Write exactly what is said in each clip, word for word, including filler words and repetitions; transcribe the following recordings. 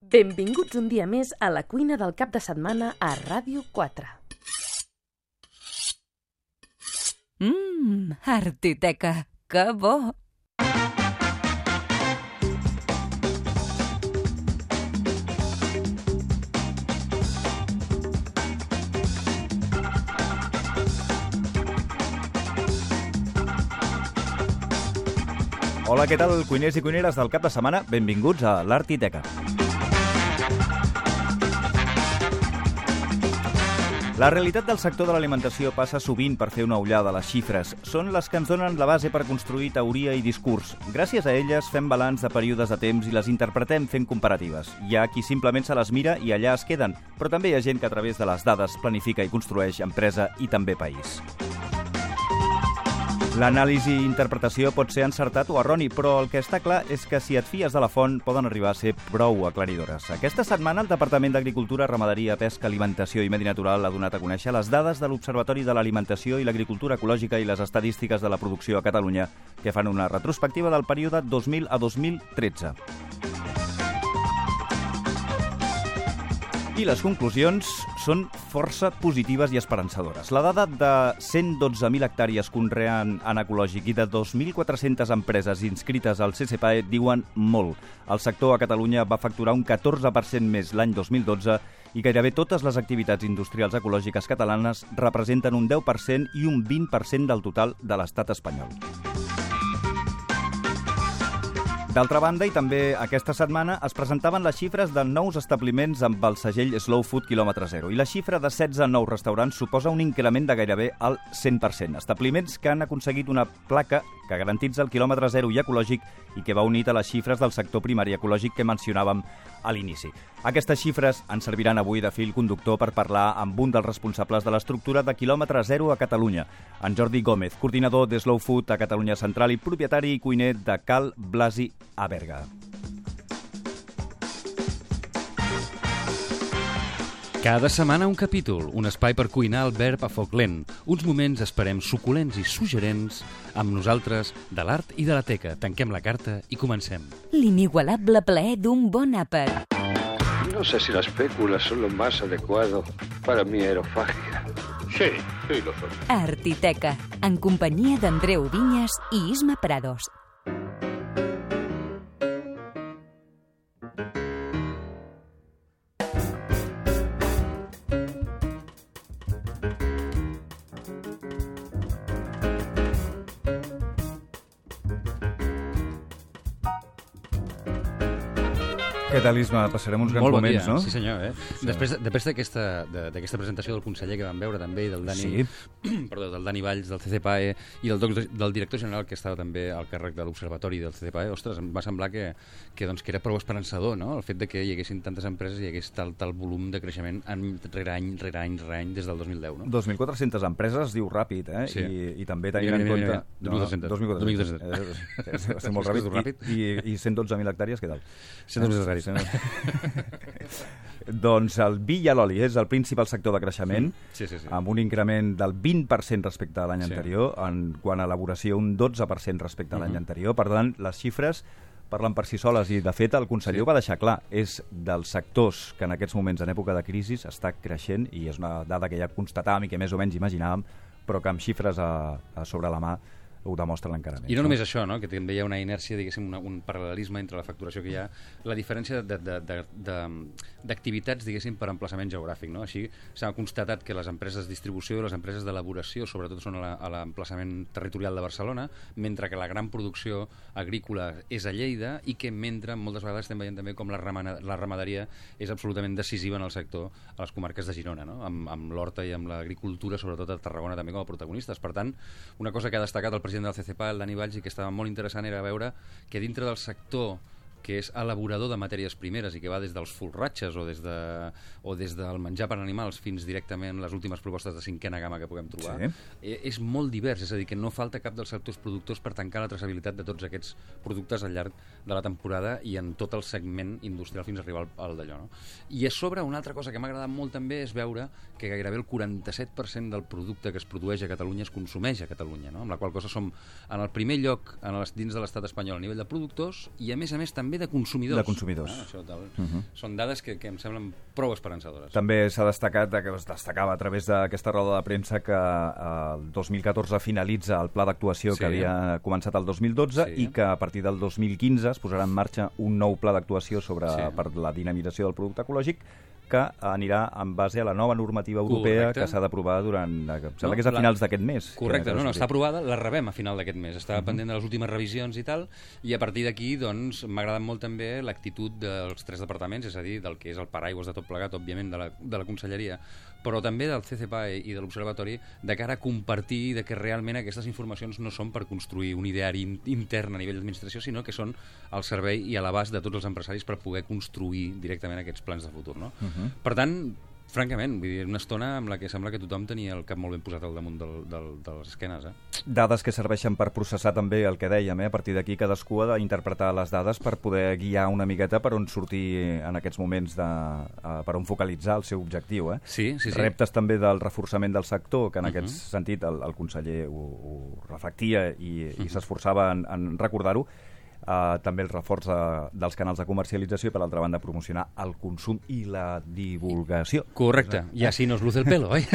Benvinguts un dia més a la cuina del cap de setmana a Ràdio quatre. Mmm, Artiteca, que bo! Hola, què tal, cuiners i cuineres del cap de setmana? Benvinguts a l'Artiteca. La realitat del sector de l'alimentació passa sovint per fer una ullada a les xifres. Són les que ens donen la base per construir teoria i discurs. Gràcies a elles fem balanç de períodes de temps i les interpretem fent comparatives. Hi ha qui simplement se les mira i allà es queden, però també hi ha gent que a través de les dades planifica i construeix empresa i també país. L'anàlisi i interpretació pot ser encertat o erroni, però el que està clar és que si et fies de la font poden arribar a ser prou aclaridores. Aquesta setmana el Departament d'Agricultura, Ramaderia, Pesca, Alimentació i Medi Natural ha donat a conèixer les dades de l'Observatori de l'Alimentació i l'Agricultura Ecològica i les estadístiques de la producció a Catalunya, que fan una retrospectiva del període dos mil a dos mil tretze. I les conclusions són força positives i esperançadores. La dada de cent dotze mil hectàrees conreant en ecològic i de dos mil quatre-centes empreses inscrites al C C P A E diuen molt. El sector a Catalunya va facturar un catorze per cent més l'any dos mil dotze i gairebé totes les activitats industrials ecològiques catalanes representen un deu per cent i un vint per cent del total de l'estat espanyol. D'altra banda, i també aquesta setmana, es presentaven les xifres de nous establiments amb el segell Slow Food quilòmetre zero, i la xifra de setze nous restaurants suposa un increment de gairebé el cent per cent. Establiments que han aconseguit una placa que garantitza el quilòmetre zero i ecològic i que va unit a les xifres del sector primari ecològic que mencionàvem a l'inici. Aquestes xifres ens serviran avui de fil conductor per parlar amb un dels responsables de l'estructura de quilòmetre zero a Catalunya, en Jordi Gómez, coordinador de Slow Food a Catalunya Central i propietari i cuiner de Cal Blasi a Berga. Cada setmana un capítol, un espai per cuinar el verb a foc lent, uns moments, esperem, suculents i suggerents amb nosaltres de l'art i de la teca. Tanquem la carta i comencem. L'inigualable plaer d'un bon àpat. No sé si las féculas son lo más adecuado para mi aerofagia. Sí, sí lo son. Artiteca, en companyia d'Andreu Vinyes i Isma Prados. Què tal, Isma? Passarem uns grans Molt bon moments, dia. no? Sí, senyor. Eh? Sí. Després, després d'aquesta de- d'aquesta presentació del conseller que vam veure també i del Dani, Sí. perdó, del Dani Valls del C C P A E i del, doc- del director general que estava també al càrrec de l'Observatori del C C P A E, ostres, em va semblar que, que, doncs, que era prou esperançador, no? El fet de que hi haguessin tantes empreses i hi hagués tal, tal volum de creixement any rere any, rere any, rere any, des del dos mil deu, no? dos mil quatre-centes empreses, diu ràpid, eh? Sí. I, I també tenint Mira, en mira, compte... mira, mira. dos mil dos-centes. dos mil quatre-centes. dos mil quatre-centes. Eh, és, és, és molt És que ràpid. és ràpid. I, i cent dotze mil hectàrees, què tal? cent dotze mil hectàrees. Doncs el vi i l'oli és el principal sector de creixement, Sí, sí, sí. amb un increment del vint per cent respecte a l'any Sí. anterior, en quant a elaboració un dotze per cent respecte a l'any Mhm. anterior. Per tant, les xifres parlen per si soles i, de fet, el conseller Sí. ho va deixar clar. És dels sectors que en aquests moments, en època de crisi, està creixent i és una dada que ja constatàvem i que més o menys imaginàvem, però que amb xifres a, a sobre la mà ho demostren encara més. I no només això, no? Que també hi ha una inèrcia, diguéssim, una, un paral·lelisme entre la facturació que hi ha, la diferència de, de, de, de, d'activitats, diguéssim, per emplaçament geogràfic, no? Així s'ha constatat que les empreses de distribució i les empreses d'elaboració, sobretot, són a la- a l'emplaçament territorial de Barcelona, mentre que la gran producció agrícola és a Lleida i que mentre moltes vegades estem veient també com la, ramana, la ramaderia és absolutament decisiva en el sector a les comarques de Girona, no? Amb, amb l'horta i amb l'agricultura, sobretot a Tarragona també com a protagonistes. Per tant, una cosa que ha destacat el president del C C P A, el Dani Valls, i que estava molt interessant era veure que dintre del sector que és elaborador de matèries primeres i que va des dels folratges o des, de, o des del menjar per animals fins directament les últimes propostes de cinquena gamma que puguem trobar, Sí. eh, és molt divers, és a dir, que no falta cap dels sectors productors per tancar la traçabilitat de tots aquests productes al llarg de la temporada i en tot el segment industrial fins a arribar al, al d'allò. No? I a sobre, una altra cosa que m'ha agradat molt també és veure que gairebé el quaranta-set per cent del producte que es produeix a Catalunya es consumeix a Catalunya, no? Amb la qual cosa som en el primer lloc en les, dins de l'estat espanyol a nivell de productors i a més a més també també de consumidors. De consumidors. Ah, això, tal. Uh -huh. Són dades que, que em semblen prou esperançadores. També s'ha destacat, que es destacava a través d'aquesta roda de premsa, que eh, el dos mil catorze finalitza el pla d'actuació sí. que havia començat el dos mil dotze sí. i que a partir del dos mil quinze es posarà en marxa un nou pla d'actuació sobre sí. per la dinamització del producte ecològic, que anirà en base a la nova normativa europea Correcte. que s'ha d'aprovar durant... Em sembla no, que és a finals la... d'aquest mes. Correcte, no, no, està aprovada, la rebem a final d'aquest mes. Està uh -huh. pendent de les últimes revisions i tal, i a partir d'aquí, doncs, m'ha agradat molt també l'actitud dels tres departaments, és a dir, del que és el paraigües de tot plegat, òbviament, de la, de la Conselleria, però també del C C P A E i de l'Observatori, de cara a compartir de que realment aquestes informacions no són per construir un ideari in intern a nivell d'administració, sinó que són al servei i a l'abast de tots els empresaris per poder construir directament aquests plans de futur, no? Uh -huh. Per tant, francament, vull dir, una estona amb la que sembla que tothom tenia el cap molt ben posat al damunt del, del, de les esquenes. Eh? Dades que serveixen per processar també el que dèiem, eh? A partir d'aquí cadascú ha d'interpretar les dades per poder guiar una miqueta per on sortir en aquests moments, de, uh, per on focalitzar el seu objectiu. Eh? Sí, sí, sí. Reptes també del reforçament del sector, que en uh -huh. aquest sentit el, el conseller ho, ho reflectia i, uh -huh. i s'esforçava en, en recordar-ho. Uh, també el reforç de, dels canals de comercialització i, per l'altra banda, promocionar el consum i la divulgació. Correcte, i així nos luce el pelo, oi?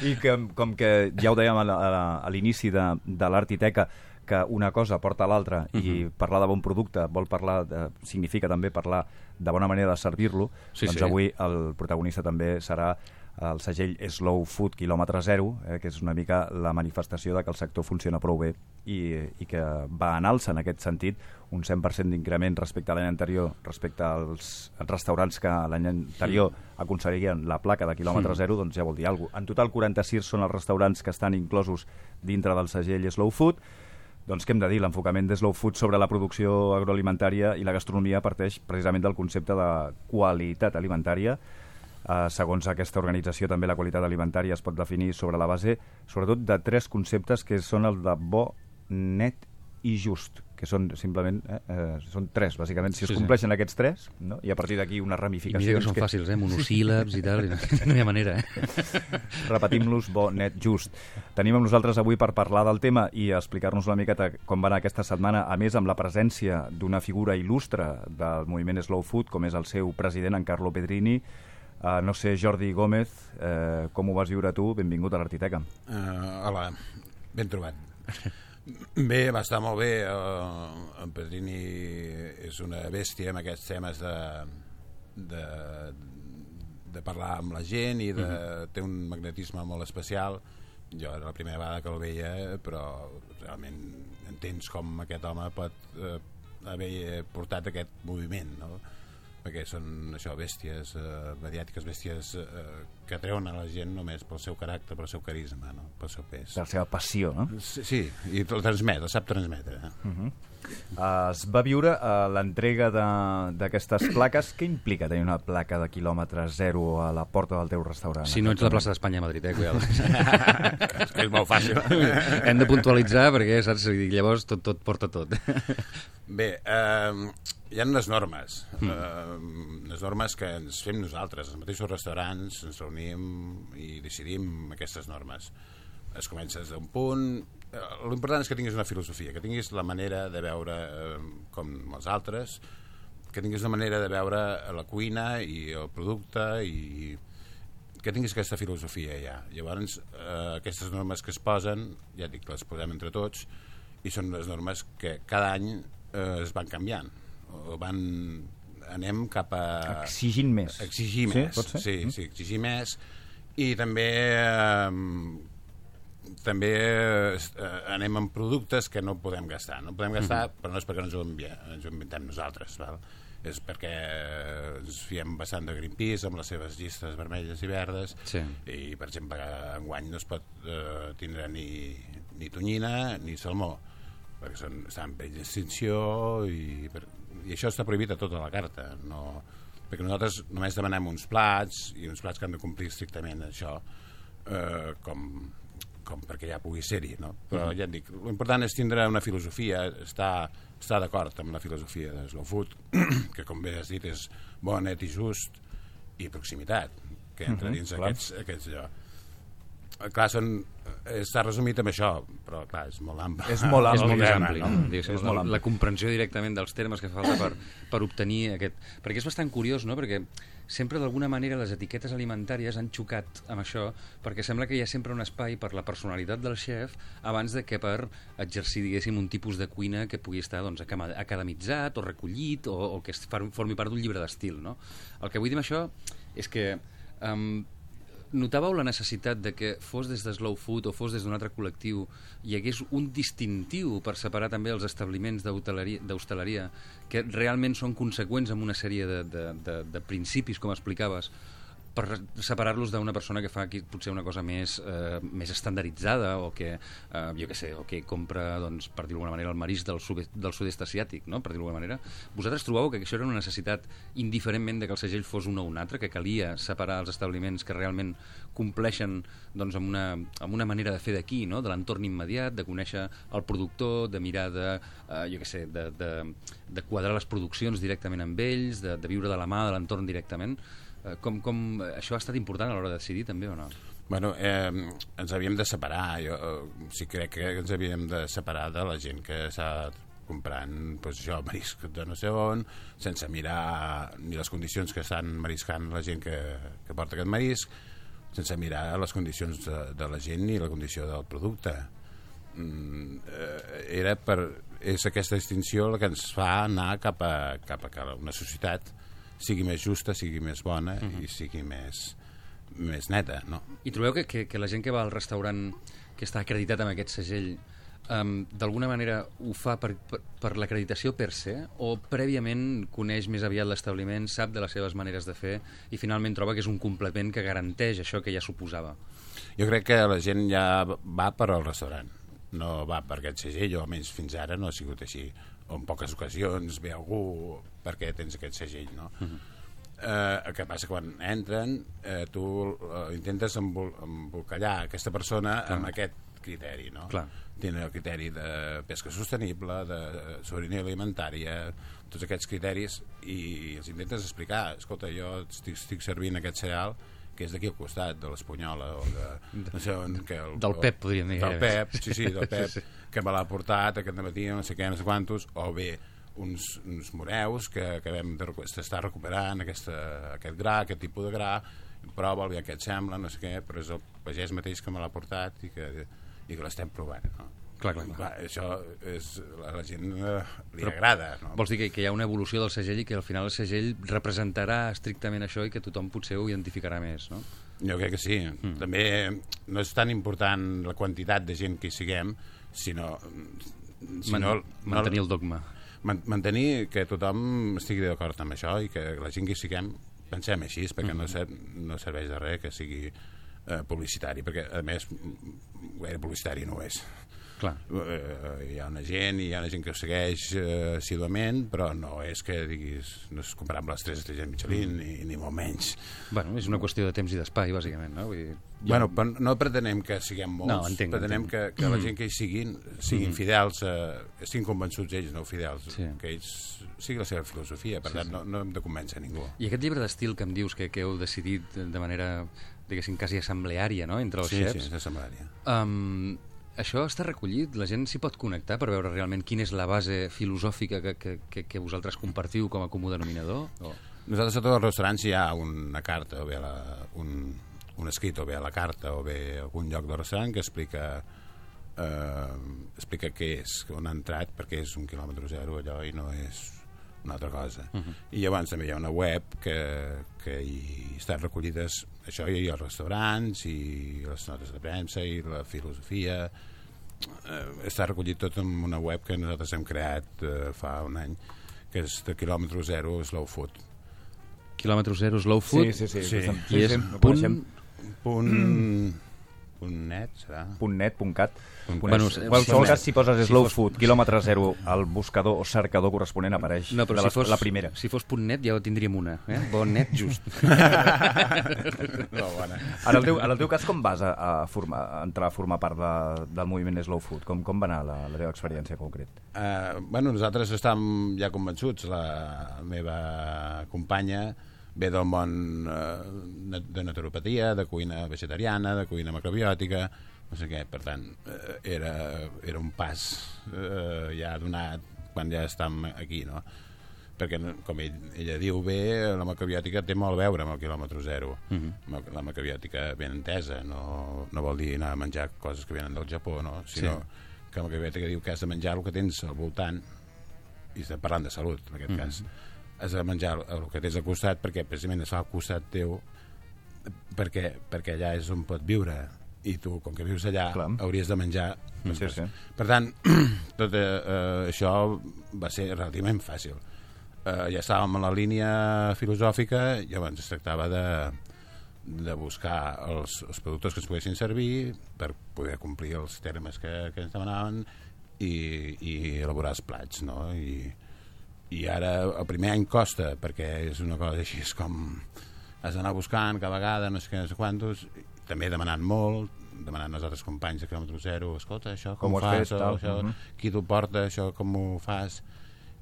I que, com que ja ho dèiem a, a, a l'inici de, de l'Artiteca, que una cosa porta a l'altra uh -huh. i parlar de bon producte vol parlar de, significa també parlar de bona manera de servir-lo, sí, doncs sí. avui el protagonista també serà el segell Slow Food quilòmetre zero, eh, que és una mica la manifestació de que el sector funciona prou bé i, i que va en alça en aquest sentit, un cent per cent d'increment respecte a l'any anterior, respecte als restaurants que l'any anterior aconseguien la placa de quilòmetre zero, doncs ja vol dir alguna cosa. En total, quaranta-sis són els restaurants que estan inclosos dintre del segell Slow Food. Doncs què hem de dir? L'enfocament de Slow Food sobre la producció agroalimentària i la gastronomia parteix precisament del concepte de qualitat alimentària. Uh, segons aquesta organització, també la qualitat alimentària es pot definir sobre la base, sobretot, de tres conceptes que són el de bo, net i just, que són simplement eh, eh, són tres, bàsicament. Si es sí, compleixen sí. aquests tres, no? I a partir d'aquí una ramificació... I mira que són que... fàcils, eh? Monosíl·labs i tal, i no, no hi ha manera, eh? Repetim-los, bo, net, just. Tenim amb nosaltres avui per parlar del tema i explicar-nos una miqueta com va anar aquesta setmana, a més amb la presència d'una figura il·lustre del moviment Slow Food, com és el seu president, en Carlo Pedrini. Uh, no sé, Jordi Gómez, uh, com ho vas viure tu? Benvingut a l'Artiteca. Uh, hola, ben trobat. Bé, va estar molt bé. Uh, en Pedrini és una bèstia amb aquests temes de, de, de parlar amb la gent i de, uh-huh. té un magnetisme molt especial. Jo era la primera vegada que el veia, però realment entens com aquest home pot uh, haver portat aquest moviment, no? Perquè són això, bèsties eh, mediàtiques, bèsties eh, que treuen a la gent només pel seu caràcter, pel seu carisma, no? Pel seu pes. Per la seva passió, no? Sí, sí, i el transmet, el sap transmetre. Eh? Uh-huh. uh, es va viure uh, l'entrega d'aquestes plaques. Què implica tenir una placa de quilòmetre zero a la porta del teu restaurant? Si no ets la plaça d'Espanya a Madrid, eh? és, és molt fàcil. Hem de puntualitzar perquè, saps, llavors tot, tot porta tot. Bé, eh... hi ha unes normes, mm. eh, unes normes que ens fem nosaltres, els mateixos restaurants, ens reunim i decidim aquestes normes. Es comença des d'un punt... Eh, l'important és que tinguis una filosofia, que tinguis la manera de veure eh, com els altres, que tinguis una manera de veure la cuina i el producte i que tinguis aquesta filosofia ja. Llavors, eh, aquestes normes que es posen, ja dic, les posem entre tots, i són unes normes que cada any eh, es van canviant. Van, anem cap a... Exigint més. Exigir més, sí, sí, mm. sí, exigir més. I també eh, també eh, anem amb productes que no podem gastar. No podem gastar, mm-hmm. però no és perquè ens ho, enviem, ens ho inventem nosaltres, val? És perquè ens fiem bastant de Greenpeace amb les seves llistes vermelles i verdes, sí. I, per exemple, enguany no es pot eh, tindre ni, ni tonyina ni salmó, perquè són, estan en perill d'extinció i... Per, i això està prohibit a tota la carta, no, perquè nosaltres només demanem uns plats i uns plats que han de complir estrictament això, eh, com, com perquè ja pugui ser-hi, no? Però ja et dic, l'important és tindre una filosofia, estar, estar d'acord amb la filosofia de Slow Food, que com bé has dit és bo, net i just, i proximitat, que entra dins uh-huh, aquests, aquests allò. clar, són, està resumit amb això, però clar, és molt ample. És molt ample. És molt més tema, ampli, no? no? És la, molt ampli. la comprensió directament dels termes que fa falta per, per obtenir aquest... Perquè és bastant curiós, no? Perquè sempre d'alguna manera les etiquetes alimentàries han xocat amb això, perquè sembla que hi ha sempre un espai per la personalitat del xef abans de que per exercir, diguéssim, un tipus de cuina que pugui estar doncs, academitzat o recollit o, o que formi part d'un llibre d'estil, no? El que vull dir amb això és que um, notàveu la necessitat de que fos des de Slow Food o fos des d'un altre col·lectiu hi hagués un distintiu per separar també els establiments d'hostaleria que realment són conseqüents amb una sèrie de, de, de, de principis, com explicaves, per separar-los d'una persona que fa aquí potser una cosa més, eh, més estandarditzada o que, eh, jo què sé, o que compra, doncs, per dir-ho d'alguna manera, el marisc del, sud del sud-est asiàtic, no? Per dir-ho d'alguna manera. Vosaltres trobeu que això era una necessitat indiferentment de que el segell fos un o un altre, que calia separar els establiments que realment compleixen doncs, amb, una, amb una manera de fer d'aquí, no? De l'entorn immediat, de conèixer el productor, de mirar de, eh, jo què sé, de, de, de quadrar les produccions directament amb ells, de, de viure de la mà de l'entorn directament. Com, com això ha estat important a l'hora de decidir també o no? Bueno, eh, ens havíem de separar. Jo eh, sí crec que ens havíem de separar de la gent que s'ha comprant pues, això, marisc de no sé on, sense mirar ni les condicions que estan mariscant la gent que, que porta aquest marisc, sense mirar les condicions de, de la gent ni la condició del producte. Mm, eh, era per, és aquesta distinció la que ens fa anar cap a, cap a que una societat sigui més justa, sigui més bona uh-huh. i sigui més, més neta, no? I trobeu que, que, que la gent que va al restaurant que està acreditat amb aquest segell um, d'alguna manera ho fa per, per, per l'acreditació per se o prèviament coneix més aviat l'establiment, sap de les seves maneres de fer i finalment troba que és un complement que garanteix això que ja suposava? Jo crec que la gent ja va per al restaurant, no va per aquest segell, o almenys fins ara no ha sigut així. O en poques ocasions ve algú perquè tens aquest segell, no? Uh-huh. eh, el que passa quan entren eh, tu eh, intentes embol embolcallar aquesta persona Clar. amb aquest criteri, no? Clar. Tenen el criteri de pesca sostenible, de sobirania alimentària, tots aquests criteris, i els intentes explicar, escolta, jo estic, estic servint aquest cereal que és d'aquí al costat, de l'Espanyola o de... No sé on, que el, del Pep, podríem dir. Del Pep, sí, sí, del Pep, sí, sí. que me l'ha portat aquest matí, no sé què, no sé quantos, o bé uns, uns moreus que acabem d'estar recuperant aquesta, aquest gra, aquest tipus de gra, prova, el què et sembla, no sé què, però és el pagès mateix que me l'ha portat i que, i que l'estem provant, no? Clar, clar, clar. clar, això és, a la gent eh, li Però agrada, no? Vols dir que, que hi ha una evolució del segell i que al final el segell representarà estrictament això i que tothom potser ho identificarà més, no? Jo crec que sí. Mm. També no és tan important la quantitat de gent que hi siguem, sinó... sinó Man, mantenir el dogma. Man, mantenir que tothom estigui d'acord amb això i que la gent que hi siguem pensem així, perquè mm. no, ser, no serveix de res que sigui eh, publicitari, perquè a més gaire publicitari no és. Clar. Uh, hi ha una gent i hi ha una gent que ho segueix uh, assiduament, però no és que diguis, no és comparable a les tres estrelles Michelin, mm. ni, ni molt menys. Bueno, és una qüestió de temps i d'espai, bàsicament, no? Vull dir, jo... Bueno, però no pretenem que siguem molts, no, entenc, pretenem entenc. que, que la gent que hi siguin siguin mm. fidels, uh, estiguin convençuts ells, no fidels, sí. que ells sigui la seva filosofia, per sí, tant sí. No, no hem de convèncer ningú. I aquest llibre d'estil que em dius que, que heu decidit de manera, diguéssim, quasi assembleària, no?, entre els sí, xefs. Sí, sí, és assembleària. Um, Això està recollit? La gent s'hi pot connectar per veure realment quina és la base filosòfica que, que, que, que vosaltres compartiu com a comú denominador? O... Nosaltres a tots els restaurants hi ha una carta, o bé la, un, un escrit, o bé a la carta, o bé algun lloc del restaurant que explica eh, explica què és, on ha entrat, perquè és un quilòmetre zero allò i no és una altra cosa. Uh-huh. I llavors també hi ha una web que, que hi estan recollides això, i els restaurants i les notes de premsa i la filosofia eh, està recollit tot en una web que nosaltres hem creat eh, fa un any, que és de quilòmetre zero Slow Food. Quilòmetre zero Slow Food? Sí, sí, sí. sí. sí, I és sí, punt... punt... Mm. punt net, serà? Punt net, punt cat. Punt bueno, en qualsevol cas, si poses si Slow fos... Food, quilòmetre zero, el buscador o cercador corresponent apareix no, de si la, fos, la primera. Si fos punt net ja ho tindríem una, eh? Bon net just. no, bona. En el, teu, en el teu cas, com vas a, a, formar, a entrar a formar part de, del moviment Slow Food? Com, com va anar la, la teva experiència concret? Uh, bueno, nosaltres estàvem ja convençuts, la meva companya ve del món eh, de naturopatia, de cuina vegetariana, de cuina macrobiòtica, no sé què, per tant, eh, era, era un pas eh, ja donat quan ja estem aquí, no? Perquè, com ell, ella diu bé, la macrobiòtica té molt a veure amb el quilòmetre zero. Uh-huh. La macrobiòtica ben entesa, no, no vol dir anar a menjar coses que venen del Japó, no? Sinó sí. que la macrobiòtica diu que has de menjar el que tens al voltant, i estem parlant de salut, en aquest uh-huh. cas, has de menjar el que tens al costat perquè precisament es fa al costat teu perquè, perquè allà és on pot viure, i tu, com que vius allà, clar, hauries de menjar les sí, coses. Sí. Per tant, tot eh, això va ser relativament fàcil. Eh, ja estàvem en la línia filosòfica, llavors es tractava de, de buscar els, els productors que ens poguessin servir per poder complir els termes que, que ens demanaven i, i elaborar els plats, no? I, i ara el primer any costa, perquè és una cosa així, és com has d'anar buscant cada vegada, no sé què, no sé quantos, també demanant molt, demanant als altres companys de quilòmetre zero, escolta, això com, com ho fas, fet, això, uh-huh. qui t'ho porta, això com ho fas,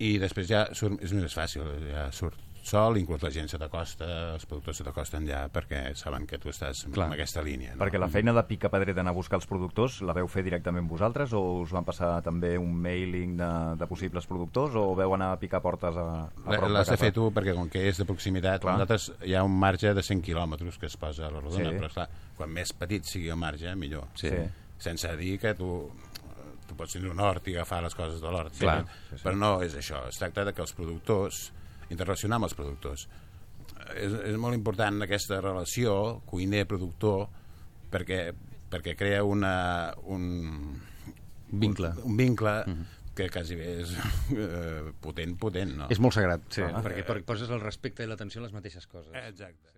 i després ja surt, és més fàcil, ja surt sol, inclús la gent se t'acosta, els productors se t'acosten ja perquè saben que tu estàs clar, en aquesta línia. No? Perquè la feina de pica-pedrer d'anar a buscar els productors la veu fer directament vosaltres o us van passar també un mailing de, de possibles productors o veu anar a picar portes a, a prop de casa? L'has de fer tu perquè com que és de proximitat, nosaltres hi ha un marge de cent quilòmetres que es posa a la rodona, sí. però esclar, quan més petit sigui el marge, millor. Sí. Sense dir que tu... tu pots tenir un hort i agafar les coses de l'hort, sí, sí, sí. però no és això. Es tracta de que els productors, interrelacionar amb els productors. És, és molt important aquesta relació cuiner-productor perquè, perquè crea una, un vincle, un, un vincle uh-huh. que quasi bé és eh, potent, potent, no? És molt sagrat, sí, ah, perquè eh, poses el respecte i l'atenció a les mateixes coses. Exacte.